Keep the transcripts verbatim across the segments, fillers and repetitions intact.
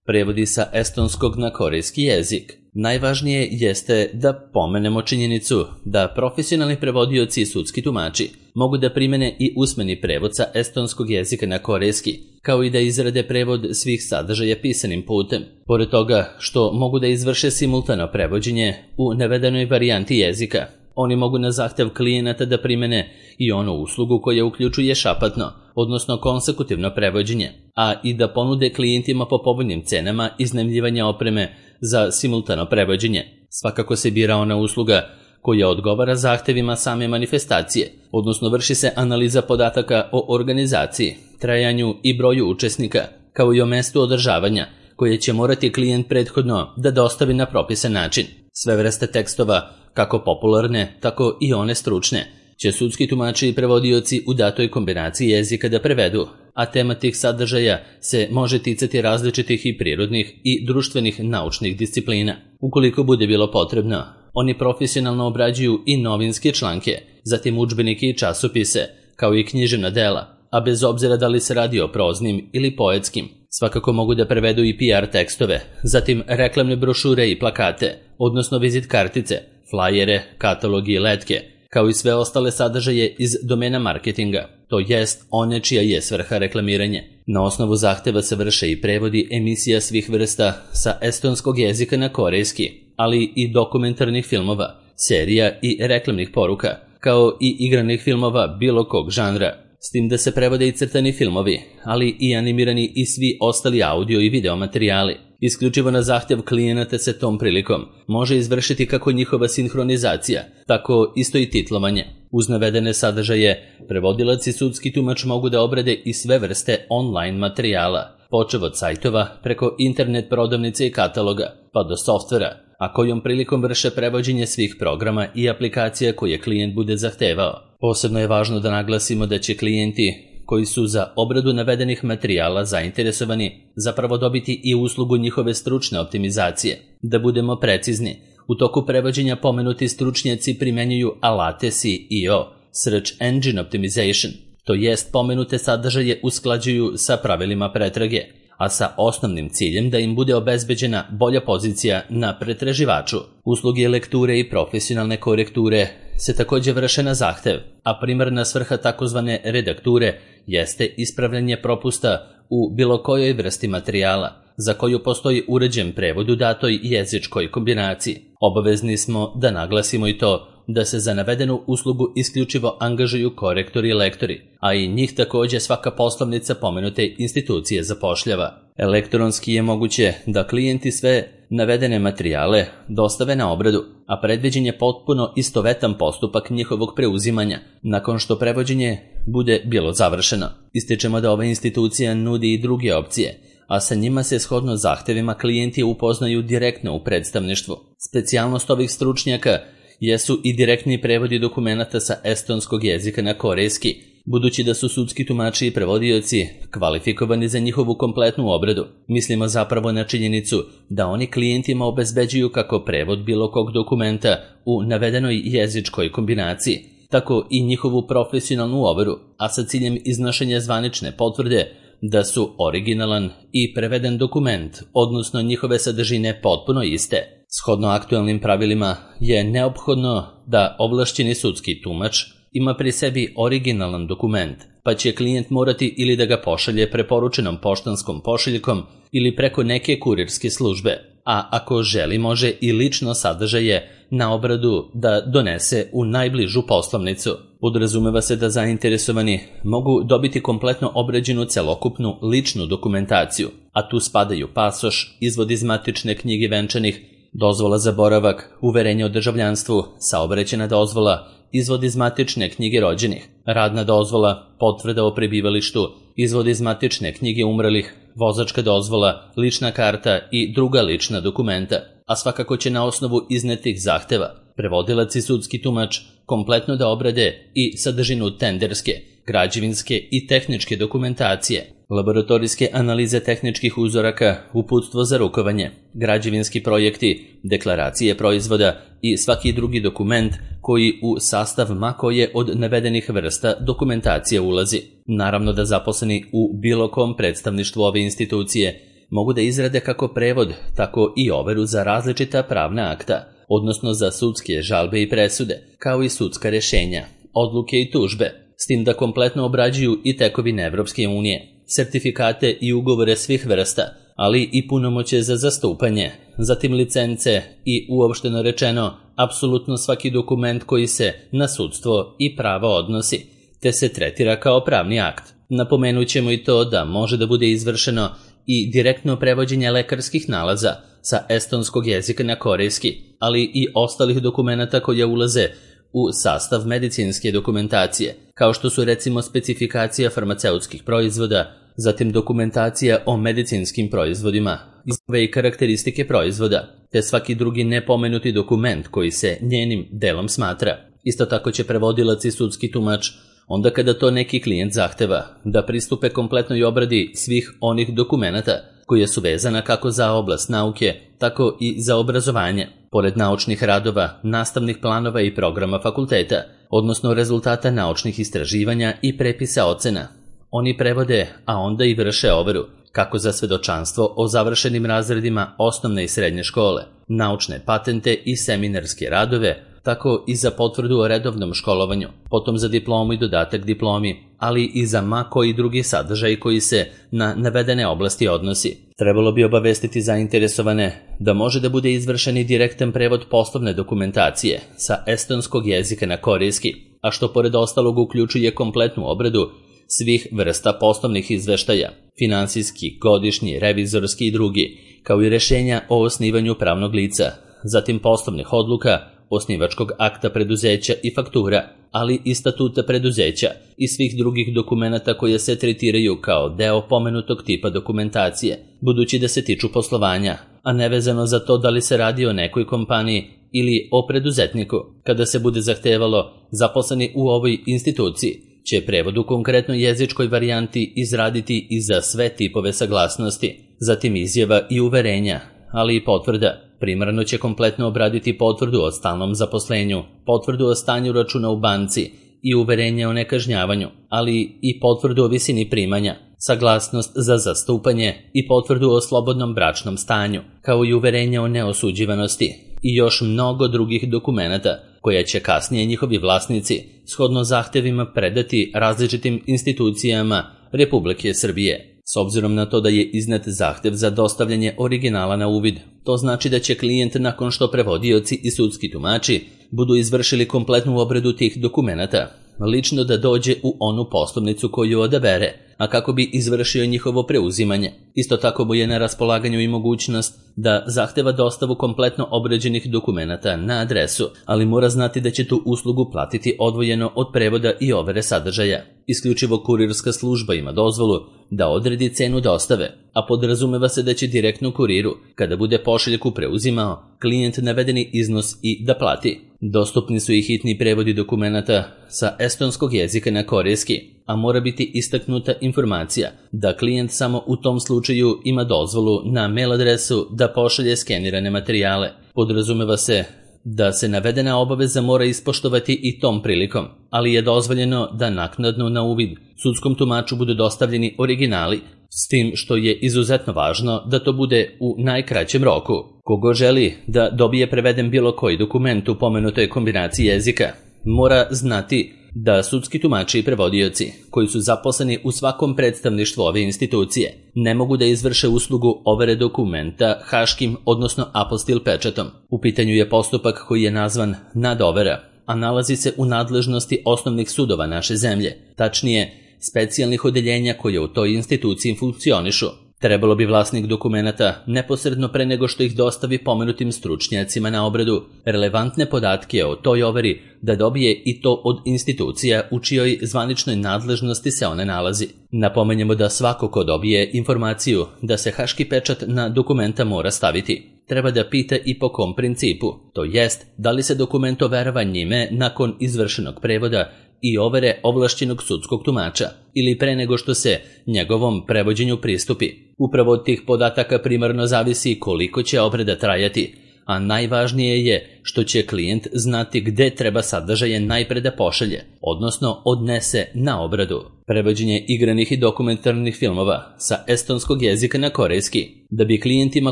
prevodi sa estonskog na korejski jezik. Najvažnije jeste da pomenemo činjenicu da profesionalni prevodioci i sudski tumači mogu da primene i usmeni prevod sa estonskog jezika na korejski, kao i da izrade prevod svih sadržaja pisanim putem. Pored toga što mogu da izvrše simultano prevođenje u navedenoj varijanti jezika, oni mogu na zahtev klijenata da primene i onu uslugu koja uključuje šapatno, odnosno konsekutivno prevođenje, a i da ponude klijentima po povoljnim cenama iznajmljivanja opreme za simultano prevođenje. Svakako se bira ona usluga koja odgovara zahtevima same manifestacije, odnosno vrši se analiza podataka o organizaciji, trajanju i broju učesnika, kao i o mestu održavanja, koje će morati klijent prethodno da dostavi na propisan način. Sve vrste tekstova, kako popularne, tako i one stručne, će sudski tumači i prevodioci u datoj kombinaciji jezika da prevedu, a tema tih sadržaja se može ticati različitih i prirodnih i društvenih naučnih disciplina. Ukoliko bude bilo potrebno, oni profesionalno obrađuju i novinske članke, zatim udžbenike i časopise, kao i književna dela, a bez obzira da li se radi o proznim ili poetskim. Svakako mogu da prevedu i P R tekstove, zatim reklamne brošure i plakate, odnosno vizit kartice, flajere, katalogi i letke, kao i sve ostale sadržaje iz domena marketinga, to jest one čija je svrha reklamiranje. Na osnovu zahteva se vrše i prevodi emisija svih vrsta sa estonskog jezika na korejski, ali i dokumentarnih filmova, serija i reklamnih poruka, kao i igranih filmova bilo kog žanra. S tim da se prevode i crtani filmovi, ali i animirani i svi ostali audio i video materijali. Isključivo na zahtjev klijenata se tom prilikom može izvršiti kako njihova sinhronizacija, tako isto i titlovanje. Uz navedene sadržaje, prevodilac i sudski tumač mogu da obrade i sve vrste online materijala, počev od sajtova, preko internet prodavnice i kataloga, pa do softvera, a kojom prilikom vrše prevođenje svih programa i aplikacija koje klijent bude zahtevao. Posebno je važno da naglasimo da će klijenti koji su za obradu navedenih materijala zainteresovani zapravo dobiti i uslugu njihove stručne optimizacije. Da budemo precizni, u toku prevođenja pomenuti stručnjaci primenjuju alate S E O, Search Engine Optimization, to jest pomenute sadržaje usklađuju sa pravilima pretrage, a sa osnovnim ciljem da im bude obezbeđena bolja pozicija na pretraživaču. Usluge lekture i profesionalne korekture se također vrše na zahtev, a primarna svrha takozvane redakture jeste ispravljanje propusta u bilo kojoj vrsti materijala, za koju postoji uređen prevod u datoj jezičkoj kombinaciji. Obavezni smo da naglasimo i to da se za navedenu uslugu isključivo angažuju korektori i lektori, a i njih također svaka poslovnica pomenute institucije zapošljava. Elektronski je moguće da klijenti sve navedene materijale dostave na obradu, a predviđen je potpuno istovetan postupak njihovog preuzimanja nakon što prevođenje bude bilo završeno. Ističemo da ova institucija nudi i druge opcije, a sa njima se shodno zahtevima klijenti upoznaju direktno u predstavništvu. Specijalnost ovih stručnjaka jesu i direktni prevodi dokumenata sa estonskog jezika na korejski, budući da su sudski tumači i prevodioci kvalifikovani za njihovu kompletnu obradu. Mislimo zapravo na činjenicu da oni klijentima obezbeđuju kako prevod bilo kog dokumenta u navedenoj jezičkoj kombinaciji, tako i njihovu profesionalnu overu, a sa ciljem iznošenja zvanične potvrde da su originalan i preveden dokument, odnosno njihove sadržine potpuno iste. Shodno aktualnim pravilima je neophodno da ovlašćeni sudski tumač ima pri sebi originalan dokument, pa će klijent morati ili da ga pošalje preporučenom poštanskom pošiljkom ili preko neke kurirske službe, a ako želi može i lično sadržaje na obradu da donese u najbližu poslovnicu. Podrazumeva se da zainteresovani mogu dobiti kompletno obrađenu celokupnu ličnu dokumentaciju, a tu spadaju pasoš, izvod iz matične knjige venčanih, dozvola za boravak, uverenje o državljanstvu, saobraćajna dozvola, izvod iz matične knjige rođenih, radna dozvola, potvrda o prebivalištu, izvod iz matične knjige umrlih, vozačka dozvola, lična karta i druga lična dokumenta, a svakako će na osnovu iznetih zahteva prevodilac i sudski tumač kompletno da obrade i sadržinu tenderske, građevinske i tehničke dokumentacije, laboratorijske analize tehničkih uzoraka, uputstvo za rukovanje, građevinski projekti, deklaracije proizvoda i svaki drugi dokument koji u sastav ma koje od navedenih vrsta dokumentacije ulazi. Naravno da zaposleni u bilo kom predstavništvu ove institucije mogu da izrade kako prevod, tako i overu za različita pravna akta, odnosno za sudske žalbe i presude, kao i sudska rešenja, odluke i tužbe, s tim da kompletno obrađuju i tekovine Evropske unije, sertifikate i ugovore svih vrsta, ali i punomoće za zastupanje, zatim licence i, uopšteno rečeno, apsolutno svaki dokument koji se na sudstvo i pravo odnosi, te se tretira kao pravni akt. Napomenut ćemo i to da može da bude izvršeno i direktno prevođenje lekarskih nalaza sa estonskog jezika na korejski, ali i ostalih dokumenata koje ulaze u sastav medicinske dokumentacije, kao što su recimo specifikacija farmaceutskih proizvoda, zatim dokumentacija o medicinskim proizvodima, izjave i karakteristike proizvoda, te svaki drugi nepomenuti dokument koji se njenim delom smatra. Isto tako će prevodilac i sudski tumač, onda kada to neki klijent zahteva, da pristupe kompletnoj obradi svih onih dokumenata koje su vezana kako za oblast nauke, tako i za obrazovanje, pored naučnih radova, nastavnih planova i programa fakulteta, odnosno rezultata naučnih istraživanja i prepisa ocena. Oni prevode, a onda i vrše overu, kako za svedočanstvo o završenim razredima osnovne i srednje škole, naučne patente i seminarske radove, tako i za potvrdu o redovnom školovanju, potom za diplomu i dodatak diplomi, ali i za ma koji drugi sadržaj koji se na navedene oblasti odnosi. Trebalo bi obavestiti zainteresovane da može da bude izvršen i direktan prevod poslovne dokumentacije sa estonskog jezika na korejski, a što pored ostalog uključuje kompletnu obradu svih vrsta poslovnih izveštaja, finansijski, godišnji, revizorski i drugi, kao i rešenja o osnivanju pravnog lica, zatim poslovnih odluka, osnivačkog akta preduzeća i faktura, ali i statuta preduzeća i svih drugih dokumenata koje se tretiraju kao deo pomenutog tipa dokumentacije, budući da se tiču poslovanja, a nevezano za to da li se radi o nekoj kompaniji ili o preduzetniku. Kada se bude zahtevalo, zaposleni u ovoj instituciji će prevod u konkretnoj jezičkoj varijanti izraditi i za sve tipove saglasnosti, zatim izjava i uverenja, ali i potvrda. Primarno će kompletno obraditi potvrdu o stalnom zaposlenju, potvrdu o stanju računa u banci i uverenje o nekažnjavanju, ali i potvrdu o visini primanja, saglasnost za zastupanje i potvrdu o slobodnom bračnom stanju, kao i uverenje o neosuđivanosti i još mnogo drugih dokumenata koja će kasnije njihovi vlasnici shodno zahtevima predati različitim institucijama Republike Srbije. S obzirom na to da je iznet zahtev za dostavljanje originala na uvid, to znači da će klijent nakon što prevodioci i sudski tumači budu izvršili kompletnu obradu tih dokumenata, lično da dođe u onu poslovnicu koju odabere, a kako bi izvršio njihovo preuzimanje. Isto tako mu je na raspolaganju i mogućnost da zahteva dostavu kompletno obrađenih dokumenata na adresu, ali mora znati da će tu uslugu platiti odvojeno od prevoda i overe sadržaja. Isključivo kurirska služba ima dozvolu da odredi cenu dostave, a podrazumeva se da će direktno kuriru, kada bude pošiljku preuzimao, klijent navedeni iznos i da plati. Dostupni su i hitni prevodi dokumenata sa estonskog jezika na korejski, a mora biti istaknuta informacija da klijent samo u tom slučaju ima dozvolu na mail adresu da pošalje skenirane materijale. Podrazumeva se da se navedena obaveza mora ispoštovati i tom prilikom, ali je dozvoljeno da naknadno na uvid sudskom tumaču budu dostavljeni originali, s tim što je izuzetno važno da to bude u najkraćem roku. Kogo želi da dobije preveden bilo koji dokument u pomenutoj kombinaciji jezika, mora znati da sudski tumači i prevodioci, koji su zaposleni u svakom predstavništvu ove institucije, ne mogu da izvrše uslugu overe dokumenta haškim, odnosno apostil pečatom. U pitanju je postupak koji je nazvan nadovera, a nalazi se u nadležnosti osnovnih sudova naše zemlje, tačnije specijalnih odeljenja koje u toj instituciji funkcionišu. Trebalo bi vlasnik dokumenata neposredno pre nego što ih dostavi pomenutim stručnjacima na obradu relevantne podatke o toj overi da dobije i to od institucija u čijoj zvaničnoj nadležnosti se one nalazi. Napomenjemo da svako ko dobije informaciju da se haški pečat na dokumenta mora staviti, treba da pita i po kom principu, to jest da li se dokument overava njime nakon izvršenog prevoda i overe ovlašćenog sudskog tumača ili pre nego što se njegovom prevođenju pristupi. Upravo od tih podataka primarno zavisi koliko će obrada trajati, a najvažnije je što će klijent znati gde treba sadržaje najpre da pošalje, odnosno odnese na obradu. Prevođenje igranih i dokumentarnih filmova sa estonskog jezika na korejski. Da bi klijentima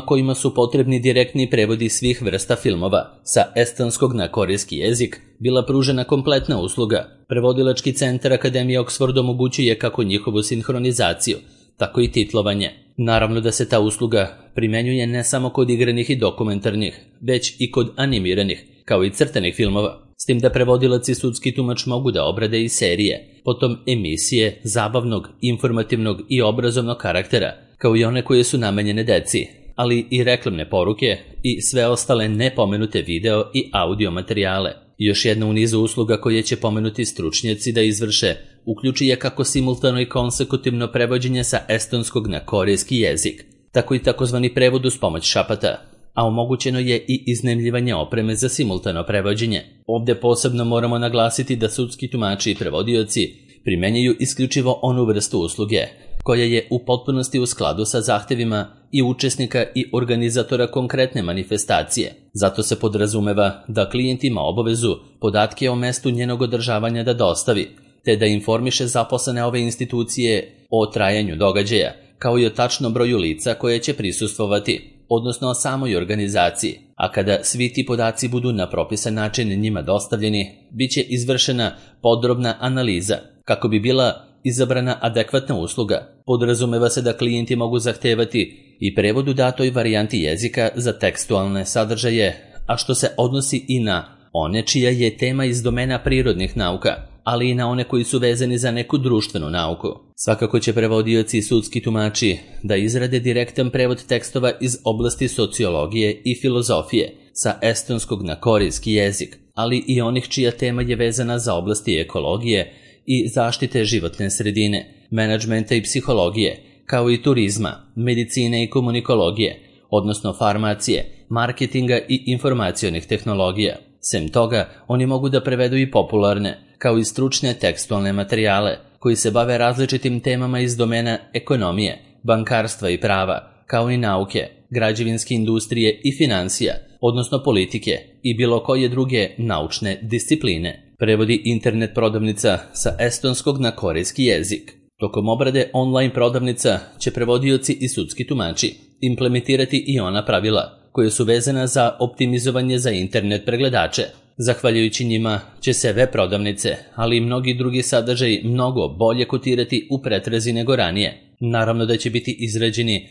kojima su potrebni direktni prevodi svih vrsta filmova sa estonskog na korejski jezik bila pružena kompletna usluga, prevodilački centar Akademije Oxford omogućuje kako njihovu sinhronizaciju, tako i titlovanje. Naravno da se ta usluga primenjuje ne samo kod igranih i dokumentarnih, već i kod animiranih, kao i crtanih filmova, s tim da prevodilac i sudski tumač mogu da obrade i serije, potom emisije zabavnog, informativnog i obrazovnog karaktera, kao i one koje su namenjene deci, ali i reklamne poruke i sve ostale nepomenute video i audio materijale. Još jedna u nizu usluga koje će pomenuti stručnjaci da izvrše uključi je kako simultano i konsekutivno prevođenje sa estonskog na korejski jezik, tako i takozvani prevod uz pomoć šapata, a omogućeno je i iznajmljivanje opreme za simultano prevođenje. Ovde posebno moramo naglasiti da sudski tumači i prevodioci primenjuju isključivo onu vrstu usluge, koja je u potpunosti u skladu sa zahtevima i učesnika i organizatora konkretne manifestacije. Zato se podrazumeva da klijent ima obavezu podatke o mestu njenog održavanja da dostavi, te da informiše zaposlene ove institucije o trajanju događaja, kao i o tačnom broju lica koje će prisustvovati, odnosno o samoj organizaciji, a kada svi ti podaci budu na propisan način njima dostavljeni, bit će izvršena podrobna analiza, kako bi bila izabrana adekvatna usluga. Podrazumeva se da klijenti mogu zahtevati i prevod u datoj varijanti jezika za tekstualne sadržaje, a što se odnosi i na one čija je tema iz domena prirodnih nauka, ali i na one koji su vezani za neku društvenu nauku. Svakako će prevodioci i sudski tumači da izrade direktan prevod tekstova iz oblasti sociologije i filozofije sa estonskog na korejski jezik, ali i onih čija tema je vezana za oblasti ekologije i zaštite životne sredine, menadžmenta i psihologije, kao i turizma, medicine i komunikologije, odnosno farmacije, marketinga i informacionih tehnologija. Sem toga, oni mogu da prevedu i popularne, kao i stručne tekstualne materijale, koji se bave različitim temama iz domena ekonomije, bankarstva i prava, kao i nauke, građevinske industrije i finansija, odnosno politike i bilo koje druge naučne discipline. Prevodi internet prodavnica sa estonskog na korejski jezik. Tokom obrade online prodavnica će prevodioci i sudski tumači implementirati i ona pravila koje su vezana za optimizovanje za internet pregledače. Zahvaljujući njima će se web prodavnice, ali i mnogi drugi sadržaji mnogo bolje kotirati u pretrazi nego ranije. Naravno da će biti izrađeni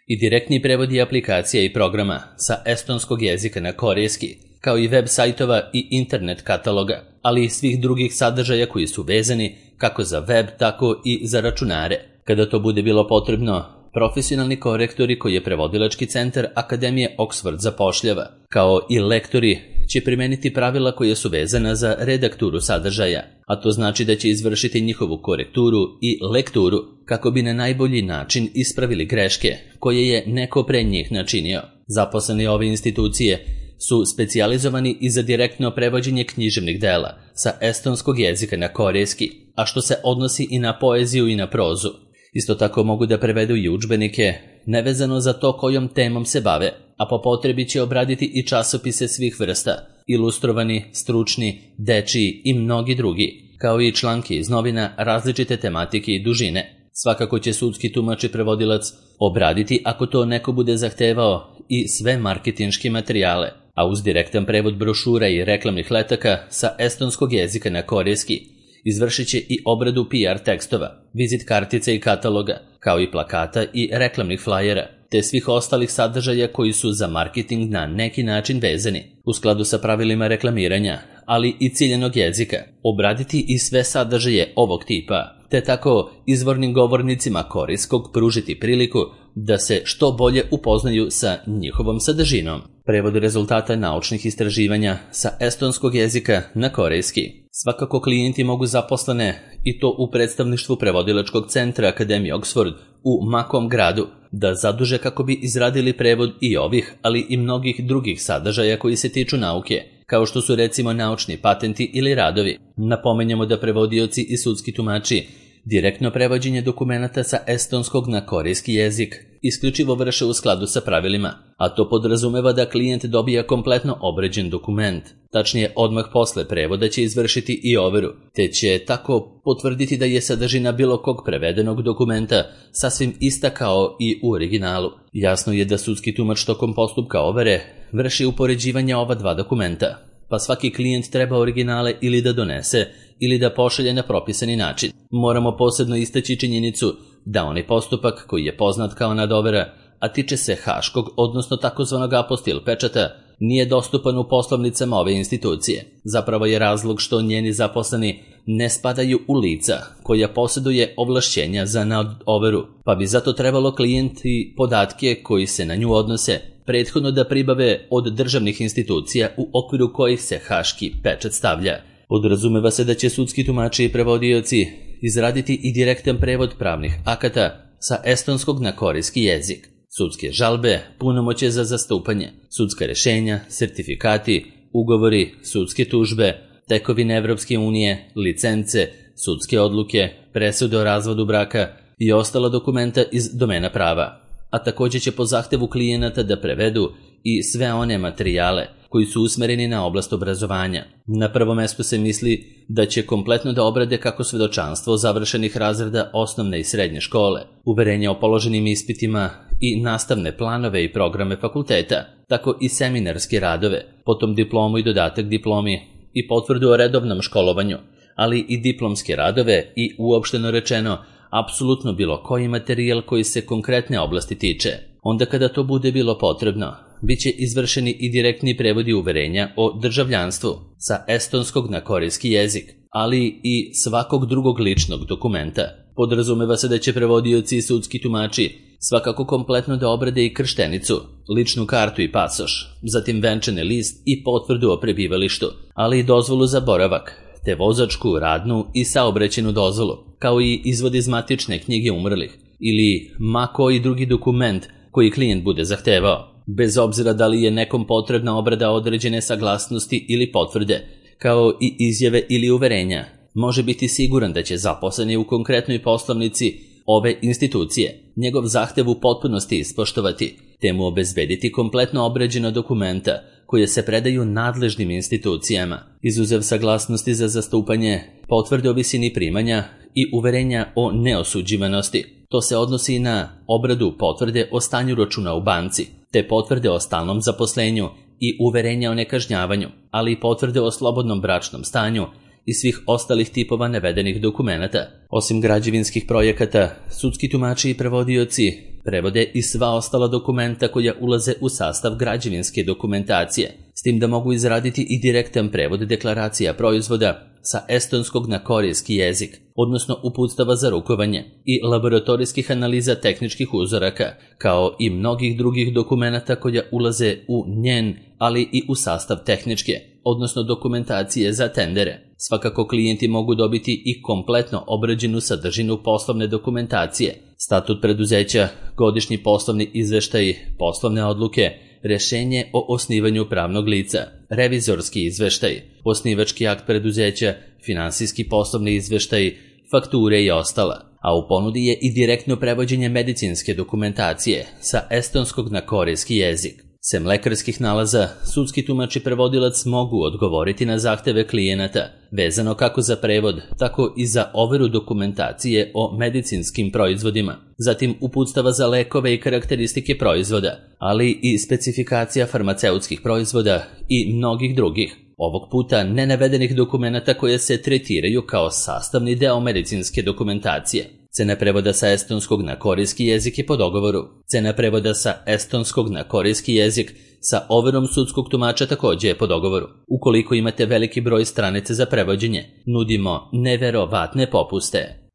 i direktni prevodi aplikacija i programa sa estonskog jezika na korejski, kao i web sajtova i internet kataloga, ali i svih drugih sadržaja koji su vezani kako za web, tako i za računare. Kada to bude bilo potrebno, profesionalni korektori koji je prevodilački centar Akademije Oxford zapošljava, kao i lektori, će primeniti pravila koje su vezana za redakturu sadržaja, a to znači da će izvršiti njihovu korekturu i lekturu kako bi na najbolji način ispravili greške koje je neko pre njih načinio. Zaposleni ove institucije su specijalizovani i za direktno prevođenje književnih dela sa estonskog jezika na korejski, a što se odnosi i na poeziju i na prozu. Isto tako mogu da prevedu i udžbenike, nevezano za to kojom temom se bave, a po potrebi će obraditi i časopise svih vrsta, ilustrovani, stručni, dečiji i mnogi drugi, kao i članke iz novina različite tematike i dužine. Svakako će sudski tumač i prevodilac obraditi ako to neko bude zahtevao i sve marketinške materijale, a uz direktan prevod brošura i reklamnih letaka sa estonskog jezika na korejski izvršit će i obradu P R tekstova, vizit kartica i kataloga, kao i plakata i reklamnih flajera, te svih ostalih sadržaja koji su za marketing na neki način vezani, u skladu sa pravilima reklamiranja, ali i ciljanog jezika, obraditi i sve sadržaje ovog tipa, te tako izvornim govornicima korejskog pružiti priliku da se što bolje upoznaju sa njihovom sadržinom. Prevod rezultata naučnih istraživanja sa estonskog jezika na korejski. Svakako klijenti mogu zaposlene, i to u predstavništvu prevodilačkog centra Akademije Oxford u makom gradu, da zaduže kako bi izradili prevod i ovih, ali i mnogih drugih sadržaja koji se tiču nauke, kao što su recimo naučni patenti ili radovi. Napomenjamo da prevodioci i sudski tumači direktno prevođenje dokumenata sa estonskog na korejski jezik isključivo vrše u skladu sa pravilima, a to podrazumeva da klijent dobija kompletno obrađen dokument. Tačnije, odmah posle prevoda će izvršiti i overu, te će tako potvrditi da je sadržina bilo kog prevedenog dokumenta sasvim ista kao i u originalu. Jasno je da sudski tumač tokom postupka overe vrši upoređivanje ova dva dokumenta, pa svaki klijent treba originale ili da donese ili da pošalje na propisani način. Moramo posebno istaći činjenicu da onaj postupak koji je poznat kao nadovera, a tiče se haškog, odnosno takozvanog apostil pečata, nije dostupan u poslovnicama ove institucije. Zapravo je razlog što njeni zaposleni ne spadaju u lica koja posjeduje ovlašćenja za nadoveru, pa bi zato trebalo klijenti podatke koji se na nju odnose prethodno da pribave od državnih institucija u okviru kojih se haški pečat stavlja. Podrazumeva se da će sudski tumači i prevodioci izraditi i direktan prevod pravnih akata sa estonskog na korejski jezik. Sudske žalbe, punomoćje za zastupanje, sudska rešenja, sertifikati, ugovori, sudske tužbe, tekovine Evropske unije, licence, sudske odluke, presude o razvodu braka i ostala dokumenta iz domena prava. A također će po zahtevu klijenata da prevedu i sve one materijale koji su usmereni na oblast obrazovanja. Na prvom mestu se misli da će kompletno da obrade kako svedočanstvo završenih razreda osnovne i srednje škole, uverenja o položenim ispitima i nastavne planove i programe fakulteta, tako i seminarske radove, potom diplomu i dodatak diplomi i potvrdu o redovnom školovanju, ali i diplomske radove i, uopšteno rečeno, apsolutno bilo koji materijal koji se konkretne oblasti tiče. Onda kada to bude bilo potrebno, bit će izvršeni i direktni prevodi uverenja o državljanstvu sa estonskog na korejski jezik, ali i svakog drugog ličnog dokumenta. Podrazumeva se da će prevodioci i sudski tumači svakako kompletno da obrade i krštenicu, ličnu kartu i pasoš, zatim venčani list i potvrdu o prebivalištu, ali i dozvolu za boravak, te vozačku, radnu i saobraćajnu dozvolu, kao i izvod iz matične knjige umrlih ili ma koji drugi dokument koji klijent bude zahtevao, bez obzira da li je nekom potrebna obrada određene saglasnosti ili potvrde, kao i izjave ili uverenja. Može biti siguran da će zaposleni u konkretnoj poslovnici ove institucije njegov zahtev u potpunosti ispoštovati, te mu obezbediti kompletno obrađena dokumenta koje se predaju nadležnim institucijama, izuzev saglasnosti za zastupanje, potvrde o visini primanja i uverenja o neosuđivanosti. To se odnosi na obradu potvrde o stanju računa u banci, te potvrde o stalnom zaposlenju i uverenja o nekažnjavanju, ali i potvrde o slobodnom bračnom stanju i svih ostalih tipova navedenih dokumenata. Osim građevinskih projekata, sudski tumači i prevodioci prevode i sva ostala dokumenta koja ulaze u sastav građevinske dokumentacije, s tim da mogu izraditi i direktan prevod deklaracija proizvoda sa estonskog na korejski jezik, odnosno uputstava za rukovanje i laboratorijskih analiza tehničkih uzoraka, kao i mnogih drugih dokumenata koja ulaze u njen, ali i u sastav tehničke, odnosno dokumentacije za tendere. Svakako klijenti mogu dobiti i kompletno obrađenu sadržinu poslovne dokumentacije, statut preduzeća, godišnji poslovni izveštaj, poslovne odluke, rešenje o osnivanju pravnog lica, revizorski izveštaj, osnivački akt preduzeća, finansijski poslovni izveštaj, fakture i ostala. A u ponudi je i direktno prevođenje medicinske dokumentacije sa estonskog na korejski jezik. Sem lekarskih nalaza, sudski tumač i prevodilac mogu odgovoriti na zahteve klijenata, vezano kako za prevod, tako i za overu dokumentacije o medicinskim proizvodima, zatim uputstava za lekove i karakteristike proizvoda, ali i specifikacija farmaceutskih proizvoda i mnogih drugih. Ovog puta nenavedenih dokumenata koje se tretiraju kao sastavni deo medicinske dokumentacije. Cena prevoda sa estonskog na korejski jezik je po dogovoru. Cena prevoda sa estonskog na korejski jezik sa overom sudskog tumača također je po dogovoru. Ukoliko imate veliki broj stranica za prevođenje, nudimo neverovatne popuste.